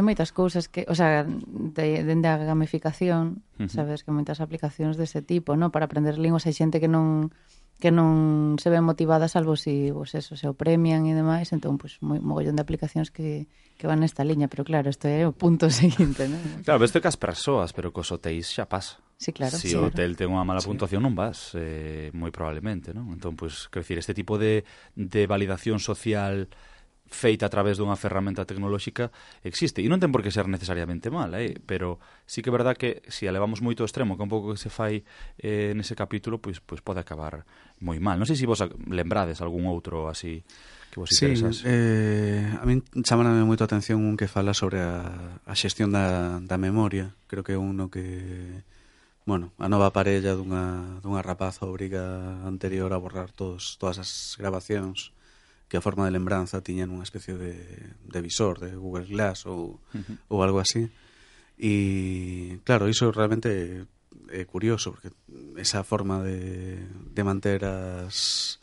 Speaker 6: moitas cousas que, o sea, dende a gamificación, sabes que moitas aplicacións dese tipo, no, para aprender linguas hai xente que non se ven motivada salvo si se o premian e demais, entón pois mogollón de aplicacións que van nesta liña, pero claro, isto é o punto seguinte, non?
Speaker 4: Claro, isto é que as persoas, pero cos hotéis xa pasa.
Speaker 6: Sí, claro.
Speaker 4: Se o hotel ten unha mala puntuación non vas, moi probablemente, non? Entón, pois, quero dicir, este tipo de validación social feita a través dunha ferramenta tecnolóxica existe, e non ten por que ser necesariamente mala, pero sí que é verdad que se a levamos moito ao extremo, que un pouco que se fai nese capítulo, pois pode acabar moi mal. Non sei se vos lembrades algún outro así que vos interesase.
Speaker 2: A min chamarame moito a atención un que fala sobre a xestión da memoria. Creo que é uno que, bueno, a nova parella dunha rapaza obriga anterior a borrar todas as grabacións que a forma de lembranza tiñan unha especie de visor de Google Glass ou algo así. E claro, iso realmente é curioso, porque esa forma de manter as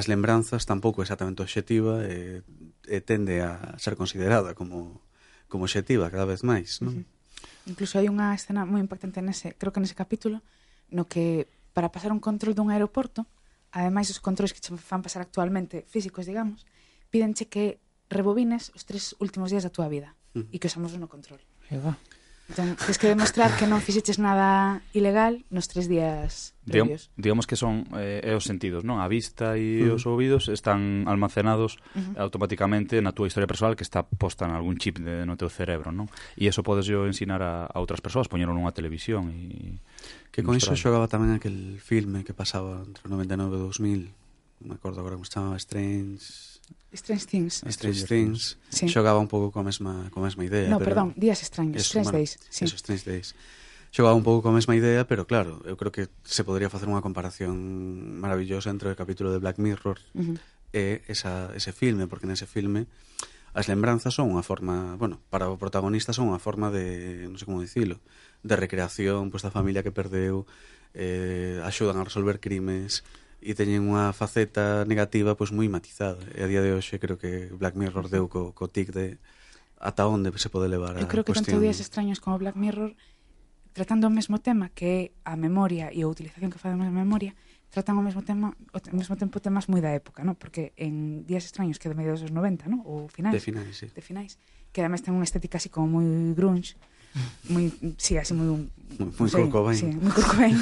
Speaker 2: lembranzas tampouco é exactamente obxectiva e tende a ser considerada como obxectiva cada vez máis, non?
Speaker 5: Incluso hai unha escena moi impactante creo que nese capítulo, no que para pasar un control dun aeroporto, ademais dos controles que che fan pasar actualmente, físicos, digamos, pídenche que rebobines os 3 últimos días da túa vida e que usamos no control. Entón, tens que demostrar que non fixeches nada ilegal nos 3 días previos.
Speaker 4: Digamos que son os sentidos, non? A vista e os ouvidos están almacenados automáticamente na túa historia persoal, que está posta en algún chip no teu cerebro, non? E iso podes yo ensinar a outras persoas, poñero nunha televisión e
Speaker 2: que con iso xogaba tamén aquel filme que pasaba entre o 99 e 2000, non me acordo agora como se chamaba,
Speaker 5: Strange Things.
Speaker 2: Sí. Xogaba un pouco coa mesma idea.
Speaker 5: No, perdón, Días Extraños, Strange Days. Sí.
Speaker 2: Eso, Strange Days. Xogaba un pouco coa mesma idea, pero claro, eu creo que se podría facer unha comparación maravillosa entre o capítulo de Black Mirror e ese filme, porque nese filme as lembranzas son unha forma, bueno, para o protagonista son unha forma de, non sei como dicilo, de recreación, pois da familia que perdeu, axudan a resolver crimes e teñen unha faceta negativa pois moi matizada. E a día de hoxe creo que Black Mirror deu co tic de ata onde se pode levar a cuestión.
Speaker 5: Eu creo que tanto Días Extraños como Black Mirror, tratando o mesmo tema, que é a memoria e a utilización que facemos da memoria, tratan ao mesmo tempo temas moi da época, ¿no? Porque en Días Extraños, que é de mediados dos 90, ¿no? Ou finais. De finais, que ademais ten unha estética así como moi grunge, moi, sí, así moi
Speaker 2: Kurt Cobain.
Speaker 5: Sí, moi Kurt Cobain.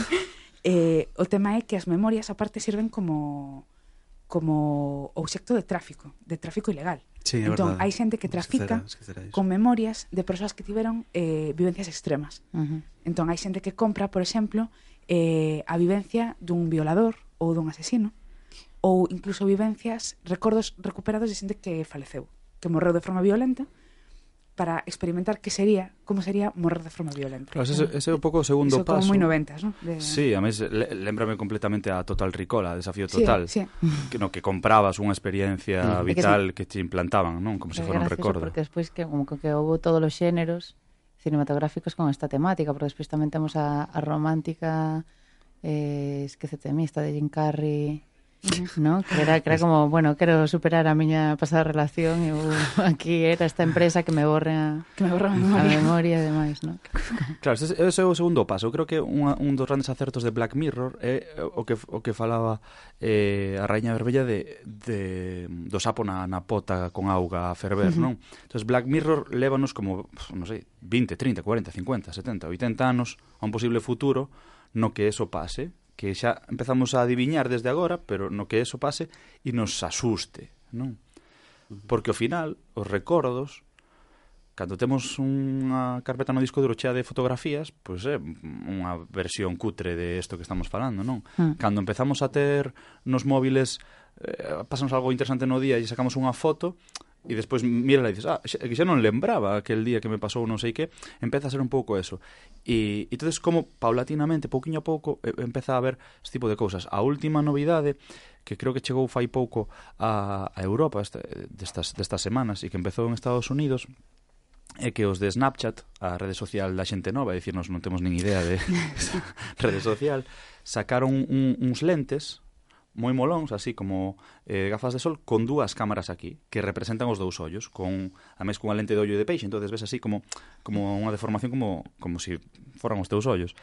Speaker 5: O tema é que as memorias aparte sirven como obxecto de tráfico ilegal.
Speaker 2: Sí, é
Speaker 5: entón,
Speaker 2: verdade.
Speaker 5: hai xente que trafica
Speaker 2: Esquecera iso.
Speaker 5: con memorias de persoas que tiveron vivencias extremas. Entón, hai xente que compra, por exemplo, a vivencia dun violador ou dun asesino, ou incluso vivencias, recordos recuperados de xente que faleceu, que morreu de forma violenta, para experimentar como sería morrer de forma violenta.
Speaker 4: Claro, ese é un pouco o segundo
Speaker 5: Iso
Speaker 4: paso.
Speaker 5: como moi 90s, ¿no?
Speaker 4: Sí, a mes lémbrame completamente a Total Recall, a Desafío Total,
Speaker 5: Sí.
Speaker 4: que comprabas unha experiencia vital que te implantaban, non? Como se fora un recordo.
Speaker 6: Porque despois que houve todos os xéneros cinematográficos con esta temática, porque despois tamén temos a romántica esquecete de mí, esta de Jim Carrey, ¿no? Que era como, bueno, quero superar a miña pasada relación e aquí era esta empresa que me borre a memoria e demais, ¿no?
Speaker 4: Claro, ese é o segundo paso. Eu creo que un dos grandes acertos de Black Mirror é o que falaba a Raíña Verbella do sapo na pota con auga a ferver, non? Entón, Black Mirror lévanos como, non sei, 20, 30, 40, 50, 70, 80 anos a un posible futuro no que eso pase, que xa empezamos a adiviñar desde agora, pero no que eso pase e nos asuste, non? Porque ao final, os recordos, cando temos unha carpeta no disco duro chea de fotografías, pois é unha versión cutre de isto que estamos falando, non? Cando empezamos a ter nos móviles, pasamos algo interesante no día e sacamos unha foto, e despois mírala e dices, que xa non lembraba aquel día que me pasou non sei que, empeza a ser un pouco eso. E entonces como paulatinamente, pouquiño a pouco, empeza a haber este tipo de cousas. A última novidade, que creo que chegou fai pouco a Europa destas semanas e que empezou en Estados Unidos, é que os de Snapchat, a rede social da xente nova, é dicir, nos non temos nin idea de rede social, sacaron uns lentes moi molóns, así como gafas de sol, con dúas cámaras aquí, que representan os dous ollos, a mes cunha lente de ollo de peixe, entonces ves así como unha deformación como si foran os teus ollos,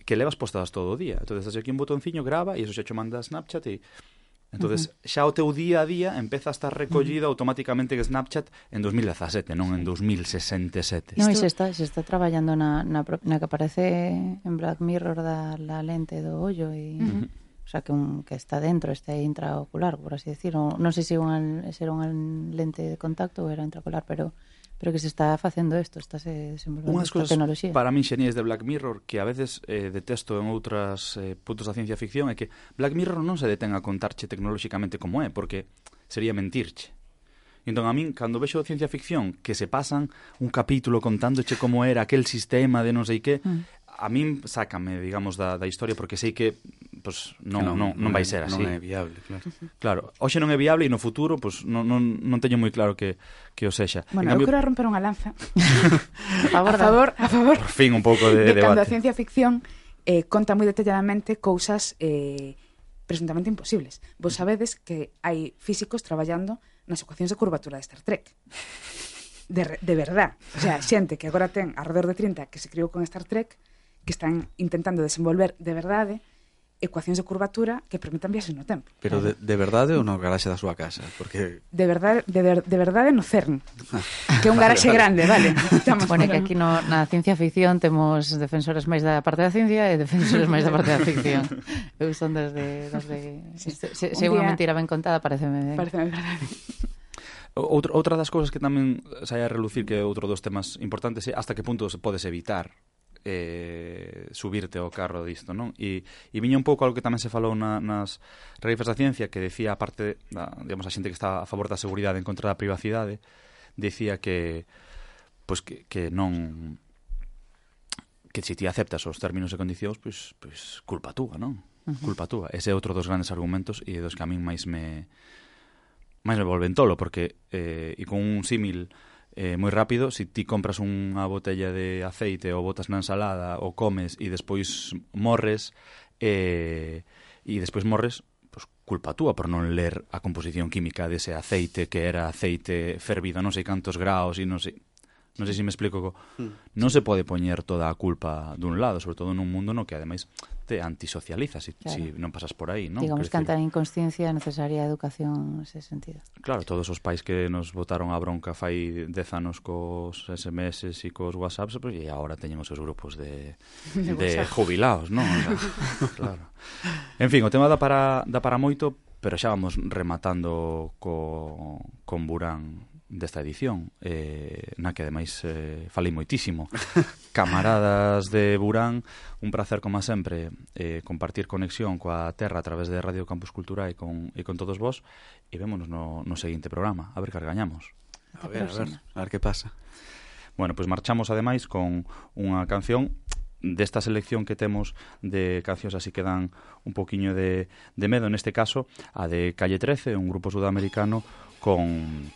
Speaker 4: que levas postadas todo o día. Entonces, aquí un botonciño grava e iso xa cho manda a Snapchat e entonces xa o teu día a día empeza a estar recollido automáticamente en Snapchat en 2017, non en 2067.
Speaker 6: Non, e se está traballando na que aparece en Black Mirror da lente do ollo e o sea, que está dentro, este intraocular, por así decir. Non sei se era unha lente de contacto ou era intraocular, pero que se está facendo isto, está se desenvolvendo esta tecnoloxía.
Speaker 4: Para min xenías de Black Mirror, que a veces detesto en outras puntos da ciencia ficción, é que Black Mirror non se detén a contarche tecnolóxicamente como é, porque sería mentirche. Entón, a min, cando vexo ciencia ficción que se pasan un capítulo contándoche como era aquel sistema de non sei que, a min sácame, digamos, da historia, porque sei que pues, non vai ser así.
Speaker 2: Non é viable, claro.
Speaker 4: Claro, hoxe non é viable e no futuro pues, non teño moi claro que o sexa.
Speaker 5: Bueno, eu quero romper unha lanza
Speaker 6: a
Speaker 5: favor
Speaker 4: por fin un pouco de debate.
Speaker 5: Cando a ciencia ficción conta moi detalladamente cousas presuntamente imposibles. Vos sabedes que hai físicos traballando nas ecuacións de curvatura de Star Trek. De verdad. O sea, xente que agora ten alrededor de 30 que se criou con Star Trek, que están intentando desenvolver de verdade ecuacións de curvatura que permitan viaxes no tempo.
Speaker 2: Pero de verdade ou no garaxe da súa casa? Porque
Speaker 5: de verdade no CERN, que é un garaxe grande, vale.
Speaker 6: Bueno, que aquí na ciencia ficción temos defensores máis da parte da ciencia e defensores máis da parte da ficción. Eu son desde se unha mentira ben contada, pareceme
Speaker 5: verdade.
Speaker 4: Outra das cousas que tamén sai a relucir, que é outro dos temas importantes, é hasta que punto se podes evitar subirte ao carro disto, non? E viña un pouco algo que tamén se falou nas revistas da ciencia, que decía, aparte digamos, a xente que está a favor da seguridade en contra da privacidade, decía que pois que non, que se ti aceptas os términos e condicións, pois culpa túa, non? Culpa túa. Ese é outro dos grandes argumentos e dos que a min máis me volven tolo, porque e con un símil moi rápido, se ti compras unha botella de aceite ou botas na ensalada ou comes e despois morres pues culpa túa por non ler a composición química dese aceite, que era aceite fervido non sei cantos graus e non sei se me explico. Non se pode poñer toda a culpa dun lado, sobre todo nun mundo no que ademais te antisocializa se non pasas por aí, non?
Speaker 6: Digamos que ante a inconsciencia é necesaria a educación nese sentido.
Speaker 4: Claro, todos os pais que nos botaron a bronca fai 10 anos cos SMS e cos WhatsApps, pues, e agora teñen os seus grupos de jubilados, non? Claro. En fin, o tema dá para moito, pero xa vamos rematando con Burán desta edición, na que ademais falei moitísimo. Camaradas de Burán, un placer como sempre compartir conexión coa terra a través de Radio Campus Cultura e con todos vos, e vémonos no seguinte programa, a ver que gañamos.
Speaker 2: A ver que pasa.
Speaker 4: Bueno, pois marchamos ademais con unha canción desta selección que temos de cancións así que dan un poquiño de medo, neste caso a de Calle 13, un grupo sudamericano con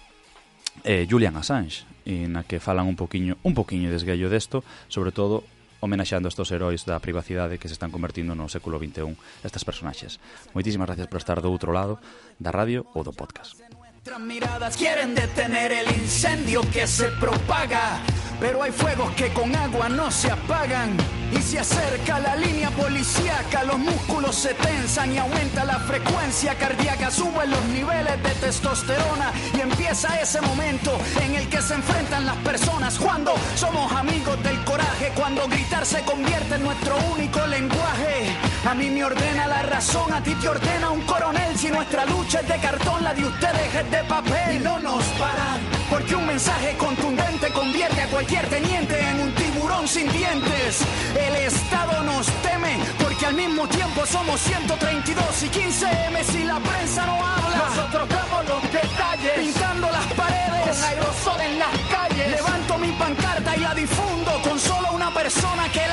Speaker 4: Julian Assange, na que falan un poquiño de esguello desto, sobre todo homenaxeando estos heróis da privacidade que se están convertindo no século XXI estas personaxes. Moitísimas gracias por estar do outro lado da radio ou do podcast.
Speaker 8: Nuestras miradas quieren detener el incendio que se propaga, pero hay fuegos que con agua no se apagan. Y se acerca la línea policíaca, los músculos se tensan y aumenta la frecuencia cardíaca, suben los niveles de testosterona y empieza ese momento en el que se enfrentan las personas. Cuando somos amigos del coraje, cuando gritar se convierte en nuestro único lenguaje. A mí me ordena la razón, a ti te ordena un coronel. Si nuestra lucha es de cartón, la de ustedes es de papel. Y no nos paran, porque un mensaje contundente convierte a cualquier teniente en un tiburón sin dientes. El Estado nos teme, porque al mismo tiempo somos 132 y 15M. Si la prensa no habla, nosotros damos los detalles, pintando las paredes con aerosol en las calles. Levanto mi pancarta y la difundo con solo una persona que